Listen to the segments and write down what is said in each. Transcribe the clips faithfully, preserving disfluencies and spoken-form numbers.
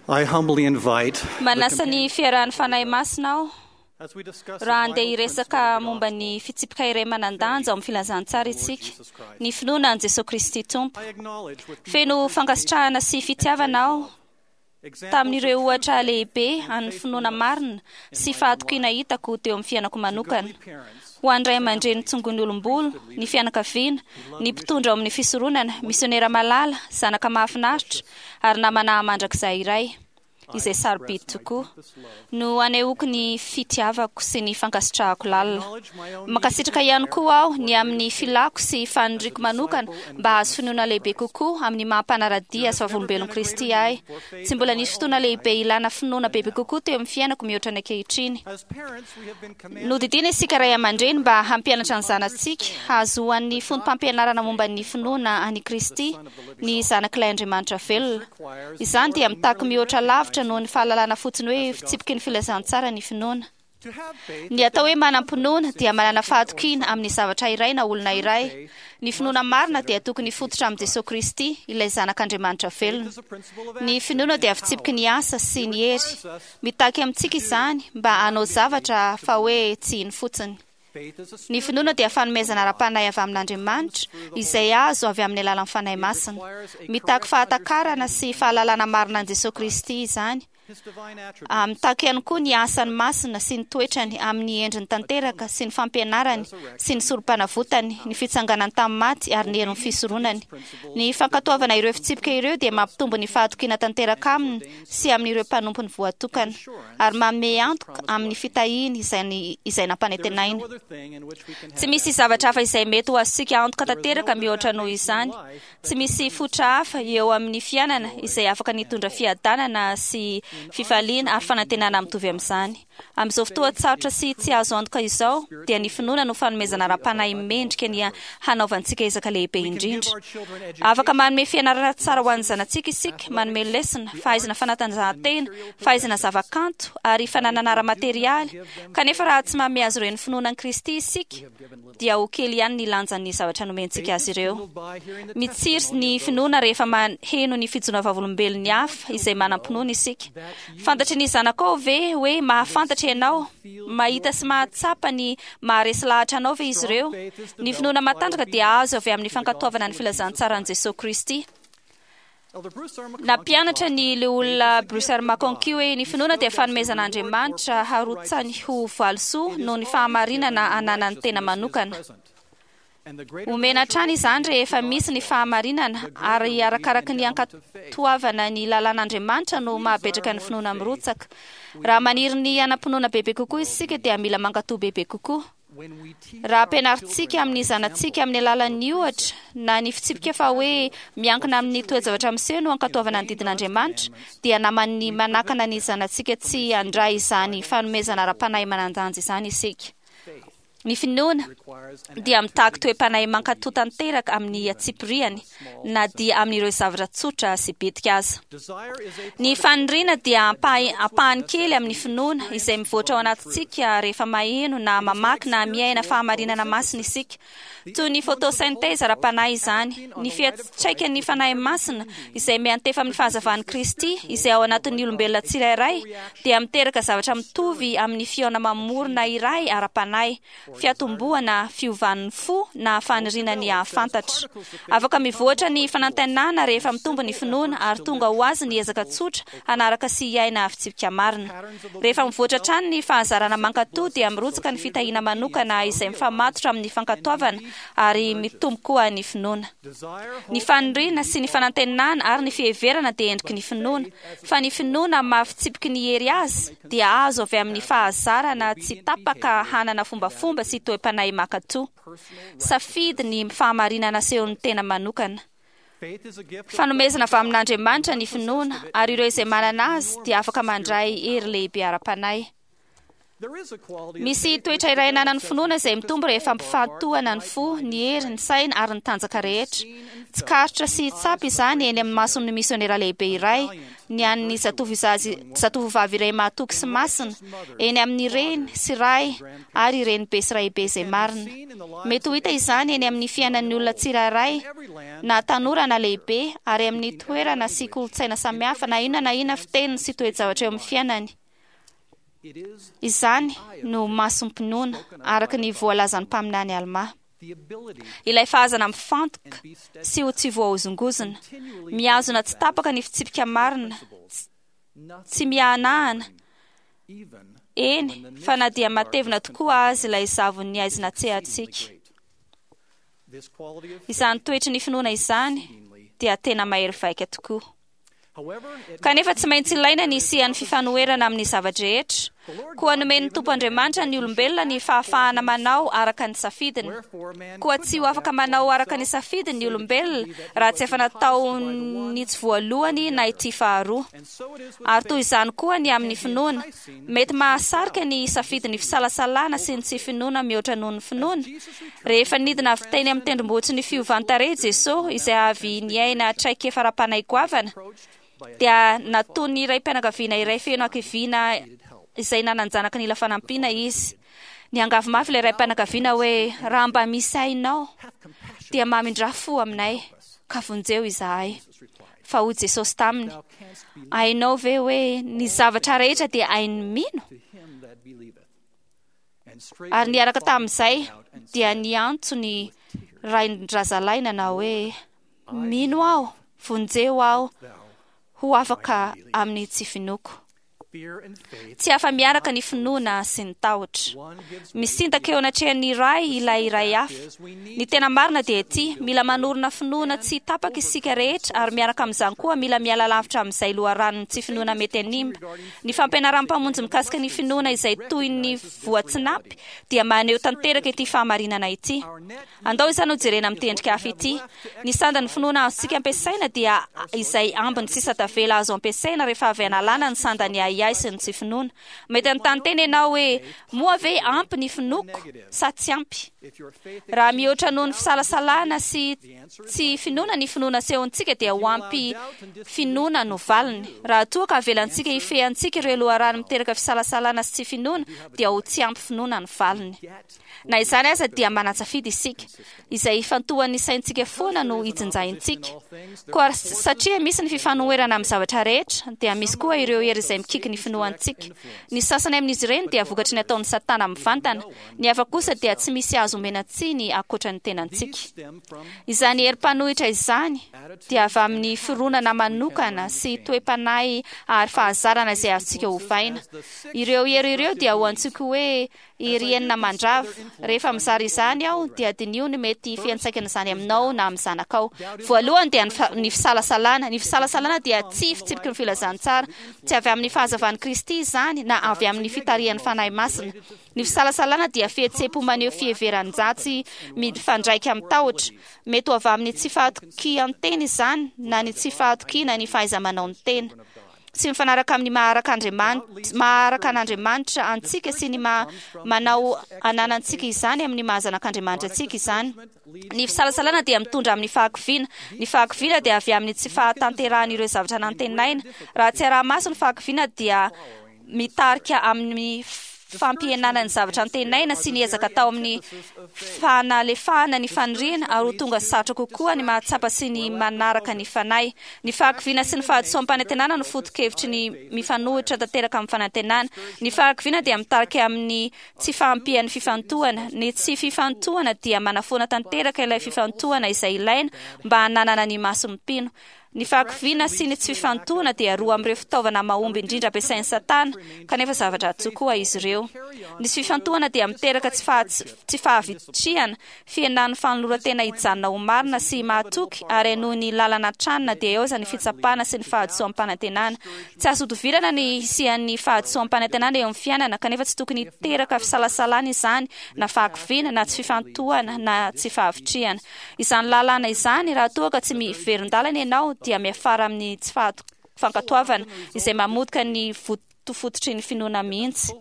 I humbly invite the Manasa ny fiarahan'ny Fanahy Masina aho as we discuss the raha andeha vital hiresaka principle of the momba ny fitsipika iray manan-danja ao amin'ny filazantsara isika, ny finoana an'i Jesosy Kristy Tompo. I acknowledge with deep Feno fankasitrahana sy fitiavana aho examples tamin'ireo of ohatra true lehibe faith and an'ny finoana faithfulness marina sy fahatokiana hitako teo amin'ny fiainako manokana. godly parents, Ho an'ny ray aman-dreny tsongon'ny olom-bolo, ny fianakaviana, ny mpitondra ao amin'ny fisoronana, misionera malala, zanaka mahafinaritra ary namana mandrakizay iray izay sarobidy tokoa no anehoako ny fitiavako sy ny fankasitrahako lalina. Mankasitraka ihany koa aho ny amin'ny filako sy faniriako manokana mba hahazo finoana lehibe kokoa amin'ny maha mpanara-dia sy vavolombelon'i Kristy ahy. Tsy mbola nisy fotoana lehibe ilana finoana bebe kokoa teo amin'ny fiainako mihoatra ny ankehitriny. As parents, we have been commanded Nodidiana isika ray aman-dreny mba hampianatra ny zanatsika hahazoan'ny fotom-pampianarana momba ny finoana an'i Kristy, ny zanak'ilay Andriamanitra velona. Izany dia mitaky mihoatra lavitra noho ny fahalalana fotsiny hoe fitsipiky ny filazantsara ny finoana. to have faith. Ny atao hoe manam-pinoana dia manana fahatokiana amin'ny zavatra iray na olona iray. Ny finoana marina dia tokony hifototra amin'i Jesosy Kristy, ilay zanak'Andriamanitra velona. Is a principle of Ny action finoana dia and fitsipiky power. ny asa sy ny hery. Mitaky amintsika izany mba hanao zavatra fa hoe tsy hino fotsiny. Faith is a Ny spiritual finoana dia fanomezana ara-panahy avy amin'Andriamanitra izay azo avy amin'ny alalan'ny Fanahy Masina. Mitaky fahatakarana sy fahalalana marina an'i Jesosy Kristy izany. His divine attributes. Ah, Mitaky ihany koa ny asany masina sy ny toetrany amin'ny endriny tanteraka sy ny fampianarany sy ny sorom-panavotany, ny fitsanganany tamin'ny maty ary ny herin'ny fisoronany. Ny fankatoavana ireo fitsipika ireo dia mampitombo ny fahatokiana tanteraka aminy sy amin'ireo mpanompony voatokana ary manome antoka amin'ny fitahiany izay, ny- izay There is nampanantenaina. no other thing in which we can Tsy have misy zavatra hafa izay mety ho azontsika antoka tanteraka mihoatra noho izany. Tsy misy fototra hafa eo amin'ny fiainana izay afaka nitondra fiadanana sy fifaliana ary fanantenana mitovy amin'izany. Amin'izao fotoan-tsarotra sy tsy azo antoka izao, dia ny finoana no fanomezana ara-panahy mendrika ny hanaovantsika ezaka lehibe indrindra. Afaka manome fianarana tsara ho an'ny zanatsika isika, manome lesona, fahaizana fanatanjahantena, fahaizana zavakanto ary fananana ara-materialy. Kanefa raha tsy manome azy ireo ny finoana an'i Kristy isika, dia ho kely ihany ny lanjan'ny zavatra nomentsika azy ireo. by hearing the Mitsiry ny finoana rehefa maheno ny fijoroana vavolombelon'ny hafa izay manam-pinoana isika. Fantatry ny zanakao ve hoe mahafantatra ianao? Mahita sy mahatsapa ny maharesy lahatra anao ve izy ireo? Ny finoana matanjaka dia azo avy amin'ny fankatoavana ny filazantsaran'i Jesosy Kristy. Elder Bruce R. McConkie Nampianatra ny leolona Bruce R. McConkie hoe ny finoana dia fanomezan'Andriamanitra harotsany ho valisoa noho ny fahamarinana ananan'ny tena manokana. And the greater Omena hatrany izany rehefa misy ny fahamarinana ary arakaraky ny ankatoavana ny lalàn'Andriamanitra no mahabetraka ny finoana mirotsaka. Raha maniry ny hanam-pinoana bebe kokoa isika dia mila mankatoa bebe kokoa. when we teach Raha ampianarintsika amin'ny zanatsika amin'ny alalan'ny ohatra na ny fitsipika fa hoe miankina amin'ny toe-javatra miseho no ankatoavana ny didin'Andriamanitra, dia naman'ny manakana ny zanatsika tsy handray izany fanomezana ara-panahy manan-danja izany isika. Ny finoana requires an dia mitaky toe-panahy mankatoa tanteraka amin'ny antsipiriany na dia amin'ireo zavatra tsotra sy bitika aza. desire is a Ny faniriana dia ampahy- ampahany kely amin'ny finoana izay mivoatra ao anatintsika rehefa maheno na mamaky na miaina fahamarinana masina isika. Toy ny photosynthèse ara-panahy izany, ny fiantraikan'ny Fanahy Masina izay miantefa amin'ny fahazavan'i Kristy izay ao anatin'ny olombelona tsirairay dia miteraka zavatra mitovy amin'ny fihaona mamorona iray ara-panahy, fiatombohana fiovan'ny fo na faniriana ny hahafantatra. Afaka mivoatra ny fanantenana rehefa mitombo ny finoana ary tonga ho azy ny ezaka tsotra hanaraka sy hiaina fitsipika marina. Rehefa mivoatra hatrany ny fahazarana mankatoa dia mirotsaka ny fitahiana manokana izay mifamatotra amin'ny fankatoavana ary mitombo koa ny finoana. desire Ny faniriana sy ny fanantenana ary ny fiheverana dia endriky ny finoana, fa ny finoana mahafitsipiky ny hery azy dia azo avy amin'ny fahazarana tsy tapaka hanana fombafomba sy toe-panahy mankatoa. Safidy ny fahamarinana asehon'ny tena manokana. faith is a gift of Fanomezana avy amin'Andriamanitra ny finoana ary ireo izay manana azy dia afaka mandray hery lehibe ara-panahy. Misy toetra iray ananan'ny finoana izay mitombo rehefa ampifantohana ny fo, ny hery, ny saina ary ny tanjaka rehetra. Tsikaritra sy tsapa izany eny amin'ny mason'ny misionera lehibe iray, ny an'ny zatovovavy iray mahatoky sy masina, eny amin'ny reny sy ray ary renibe sy raibe izay marina. Mety ho hita izany eny amin'ny fiainan'ny olona tsirairay, na tanora na lehibe, ary amin'ny toerana sy kolontsaina samihafa, na inona na inona fiteniny sy toe-javatra eo amin'ny fiainany. Izany no masom-pinoana, araka ny voalazan'ny mpaminany Almà. Ilay fahazana mifantoka sy ho tsy voahozongozona, mihazona tsy tapaka ny fitsipika marina, tsy miahanahana, eny fa na dia matevina tokoa azy ilay zavon'ny aizina tsehantsika. Izany toetry ny finoana izany dia tena mahery vaika tokoa. Kanefa tsy maintsy ilaina ny hisian'ny fifanoherana amin'ny zava-drehetra. Koa nomen'ny Tompo Andriamanitra ny olombelona ny fahafahana manao araka ny safidiny. Koa tsy ho afaka manao araka ny safidiny ny olombelona raha tsy efa nataony tsy voalohany na ity faharoa. Ary toy izany koa ny amin'ny finoana. Mety mahasarika ny safidiny fisalasalana sy ny tsy finoana mihoatra noho ny finoana. Rehefa nidina avy teny amin'ny tendrombohitry ny fiovan-tarehy Jesosy, izay avy niaina traikefa ara-panahy goavana, dia nataon'ny raim-pianakaviana iray feno hakiviana izay nanan-janaka nila fanampiana izy. Niangavy mafy ilay raim-pianakaviana hoe, raha mba misy hainao, dia mamindrà fo aminay, ka vonjeo izahay. Fa hoy Jesosy taminy, hainao ve hoe ny zavatra rehetra dia hain'ny mino? Ary niaraka tamin'izay dia niantso ny rain-drazalahy nanao hoe, mino aho, vonjeo aho, ho afaka amin'ny tsy finoako. Tsy afa-miaraka ny finoana sy ny tahotra. Misintaka eo anatrehan'ny iray ilay iray hafa. Ny tena marina dia ity, mila manorina finoana tsy tapaka isika rehetra, ary miaraka amin'izany koa mila miala lavitra amin'izay loharanon'ny tsy finoana mety hanimba. Ny fampianaran'ny Mpamonjy mikasika ny finoana izay toy ny voatsinapy dia maneho tanteraka ity fahamarinana ity. Andao izany ho jerena amin'ny tendrika hafa ity. Ny sandan'ny finoana azontsika ampiasaina dia izay ambiny sisa tavela azo ampiasaina rehefa avy analana ny sandan'ny ahiahy sy ny tsy finoana. Mety hanontany tena ianao hoe, moa ve ampy ny finoako sa tsy ampy? Raha mihoatra noho ny fisalasalana sy tsy finoana ny finoana asehontsika dia ho ampy finoana no valiny. Raha toa ka avelantsika hifehy antsika ireo loharano miteraka fisalasalana sy tsy finoana dia ho tsy ampy finoana ny valiny. Na izany aza dia manan-tsafidy isika. Izay ifantohan'ny saintsika foana no ijinjaintsika. Koa satria misy ny fifanoherana amin'ny zavatra rehetra, dia misy koa ireo hery izay mikiky ny finoantsika. Ny sasany amin'izy ireny dia vokatry ny ataon'ny Satana mivantana. Ny hafa kosa dia tsy misy azo omena tsiny ankoatra ny tenantsika. Izany hery mpanohitra izany dia avy amin'ny fironana manokana sy toe-panahy ary fahazarana izay azontsika ovaina. Ireo hery ireo dia ho antsoiko hoe hery enina mandrava. Rehefa mizara izany aho dia diniho ny mety fiantraikan'izany aminao na amin'ny zanakao. Voalohany dia ny fisalasalana. Ny fisalasalana dia tsy fitsipiky ny filazantsara. Tsy avy amin'ny fahazavan'i Kristy izany na avy amin'ny fitarihan'ny Fanahy Masina. Ny fisalasalana dia fihetseham-po maneho fiheveran-dratsy mifandraika amin'ny tahotra. Mety ho avy amin'ny tsy fahatokian-tena izany na ny tsy fahatokiana ny fahaiza-manao ny tena. Tsy mifanaraka amin'ny maharaka Andriamanitra, maharaka an'Andriamanitra antsika sy ny maha manao ananantsika izany amin'ny maha zanak'Andriamanitra antsika izany. Ny fisalasalana dia mitondra amin'ny fahakiviana. Ny fahakiviana dia avy amin'ny tsy fahatanterahan'ireo zavatra nantenaina. Raha tsy araha-maso ny fahakiviana dia mitarika amin'ny fampihenana ny zavatra antenaina sy ny ezaka atao amin'ny fanalefahana ny faniriana, ary ho tonga sarotra kokoa ny mahatsapa sy ny manaraka ny fanahy. Ny fahakiviana sy ny fahadisoam-panantenana no foto-kevitry ny mifanohitra tanteraka amin'ny fanantenana. Ny fahakiviana dia mitarika amin'ny tsy fahampian'ny fifantohana. Ny tsy fifantohana dia manafoana tanteraka ilay fifantohana izay ilaina mba hananana ny mason'ny mpino. Ny fahakiviana sy ny tsy fifantohana dia roa amin'ireo fitaovana mahomby indrindra ampiasain'i Satana, kanefa zavatra tokoa izy ireo. Ny tsy fifantohana dia miteraka tsy faha- tsy fahavitrihana, fihenan'ny fanoloran-tena hijanona ho marina sy mahatoky, ary hanohy ny lalana hatrany na dia eo aza ny fitsapana sy ny fahadisoam-panantenana. Tsy azo ihodivirana ny hisian'ny fahadisoam-panantenana eo amin'ny fiainana, kanefa tsy tokony hiteraka fisalasalana izany, na fahakiviana, na tsy fifantohana, na tsy fahavitrihana. Izany lalàna izany, raha toa ka tsy miverin-dalana ianao, dia miafara amin'ny tsy fankatoavana, izay mamotika ny fototry ny finoana mihitsy.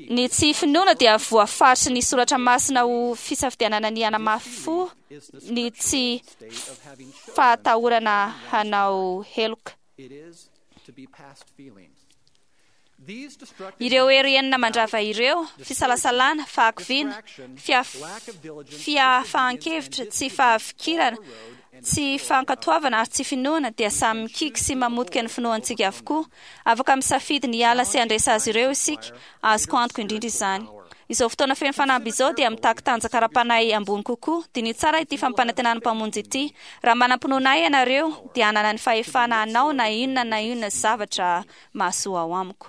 Ny tsy finoana dia voafaritry ny soratra masina ho fisafidianana ny hanamafy fo, ny tsy fahatahorana hanao heloka. Ireo hery enina mandrava ireo: fisalasalana, fahakiviana, fiafahan-kevitra, tsy fahafikirana, tsy fankatoavana ary tsy finoana, dia samy mikiky sy mamotika ny finoantsika avokoa. Afaka misafidy ny hiala sy handresy azy ireo isika. Azoko antoka indrindra izany. Izao fotoana feno fanamby izao dia mitaky tanjaka ara-panahy ambony kokoa. Diniho tsara ity fampanantenan'ny Mpamonjy ity: raha manam-pinoana ahy ianareo, dia hanana ny fahefana hanao na inona na inona zavatra mahasoa ao amiko.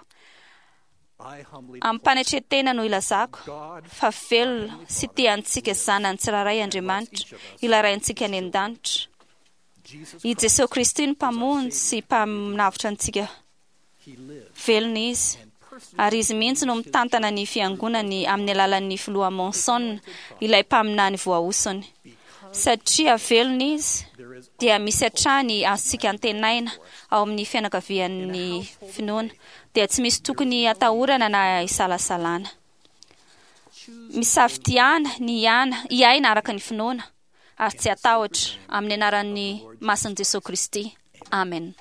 Amim-panetren-tena no ilazako fa velona sy tia antsika zanany tsirairay Andriamanitra, ilay Raintsika any an-danitra. I Jesosy Kristy no Mpamonjy sy Mpanavotra antsika. Velona Izy, ary Izy mihitsy no mitantana ny fiangonany amin'ny alalan'ny filoha Monson, ilay mpaminany voahosony. Satria velona Izy, dia misy hatrany azontsika antenaina ao amin'ny fianakavian'ny finoana, dia tsy misy tokony atahorana na isalasalana. Misafidiana ny hiana, hiaina araka ny finoana, ary tsy hatahotra, amin'ny anaran'ny masin'i Jesosy Kristy. Amen.